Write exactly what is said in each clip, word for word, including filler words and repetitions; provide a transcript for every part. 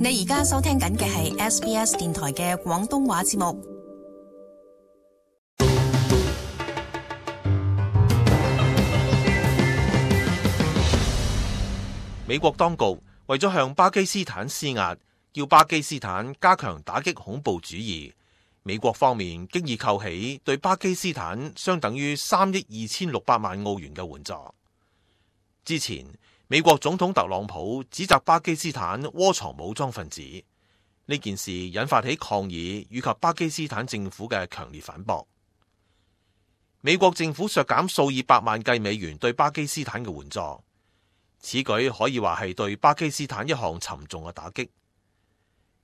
你而家收聽緊嘅係 S B S 電台嘅廣東話節目。美國當局為咗向巴基斯坦施壓，叫巴基斯坦加強打擊恐怖主義，美國方面經已扣起對巴基斯坦相等於三億二千六百萬澳元嘅援助。之前，美國總統特朗普指責巴基斯坦窩藏武裝分子，呢件事引發起抗議以及巴基斯坦政府嘅強烈反駁。美國政府削減數以百萬計美元對巴基斯坦嘅援助，此舉可以話係對巴基斯坦一項沉重嘅打擊。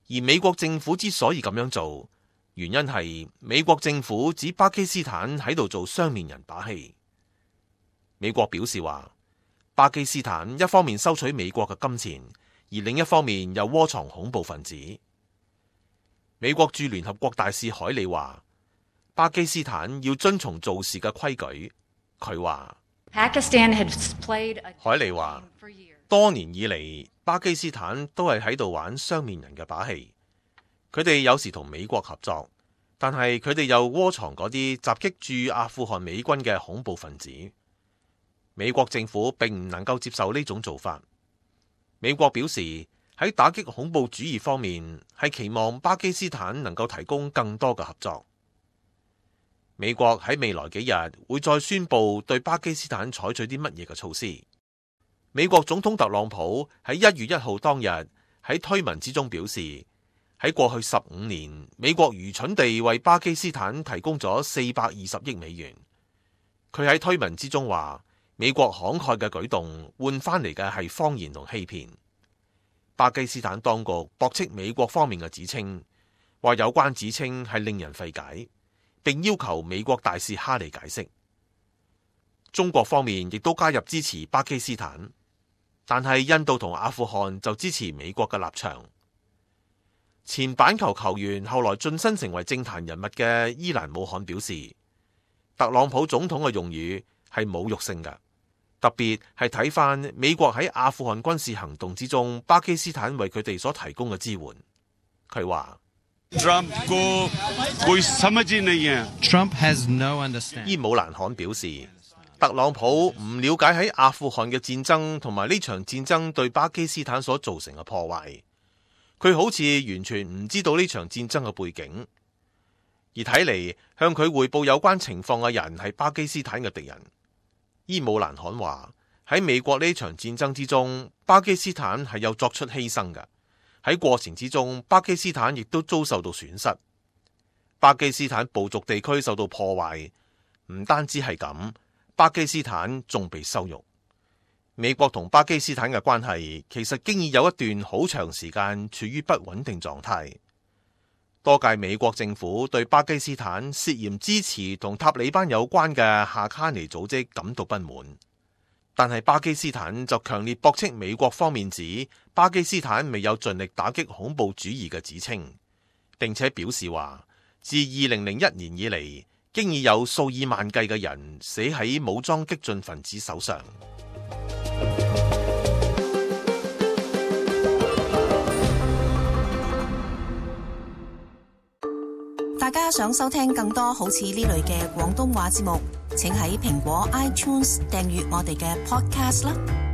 而美國政府之所以咁樣做，原因係美國政府指巴基斯坦喺度做雙面人把戲。美國表示話，巴基斯坦一方面收取美國嘅金錢，而另一方面又窩藏恐怖分子。美國駐聯合國大使海利話，巴基斯坦要遵從做事嘅規矩。佢話，海利話，多年以嚟，巴基斯坦都係喺度玩雙面人嘅把戲。佢哋有時同美國合作，但係佢哋又窩藏嗰啲襲擊駐阿富汗美軍嘅恐怖分子。美國政府並唔能夠接受呢種做法。美國表示喺打擊恐怖主義方面係期望巴基斯坦能夠提供更多嘅合作。美國喺未來幾日會再宣布對巴基斯坦採取啲乜嘢嘅措施。美國總統特朗普喺一月一號當日喺推文之中表示，喺過去十五年，美國愚蠢地為巴基斯坦提供咗四百二十億美元。佢喺推文之中話，美國慷慨嘅舉動換翻嚟嘅係謊言同欺騙。巴基斯坦當局駁斥美國方面嘅指稱，話有關指稱係令人費解，並要求美國大使哈利解釋。中國方面亦都加入支持巴基斯坦，但係印度同阿富汗就支持美國嘅立場。前板球球員後來晉身成為政壇人物嘅伊蘭姆罕表示，特朗普總統嘅用語係侮辱性嘅。特別係睇返美國喺阿富汗軍事行動之中，巴基斯坦為佢哋所提供嘅支援。佢話伊姆蘭罕表示，特朗普唔了解喺阿富汗嘅戰爭同埋呢場戰爭對巴基斯坦所造成嘅破壞，佢好似完全唔知道呢場戰爭嘅背景，而睇嚟向佢匯報有關情況嘅人係巴基斯坦嘅敵人。伊姆蘭罕話，喺美國呢場戰爭之中，巴基斯坦係有作出犧牲嘅，喺過程之中，巴基斯坦亦都遭受到損失。巴基斯坦部族地區受到破壞，唔單止係咁，巴基斯坦仲被羞辱。美國同巴基斯坦嘅關係其實經已有一段好長時間處於不穩定狀態。多屆美國政府對巴基斯坦涉嫌支持同塔利班有關嘅夏卡尼組織感到不滿，但係巴基斯坦就強烈駁斥美國方面指巴基斯坦未有盡力打擊恐怖主義嘅指稱，並且表示話，自二零零一年以嚟，經已有數以萬計嘅人死喺武裝激進分子手上。大家想收聽更多好似呢類嘅廣東話節目，請喺蘋果 iTunes 訂閱我哋嘅 podcast 啦。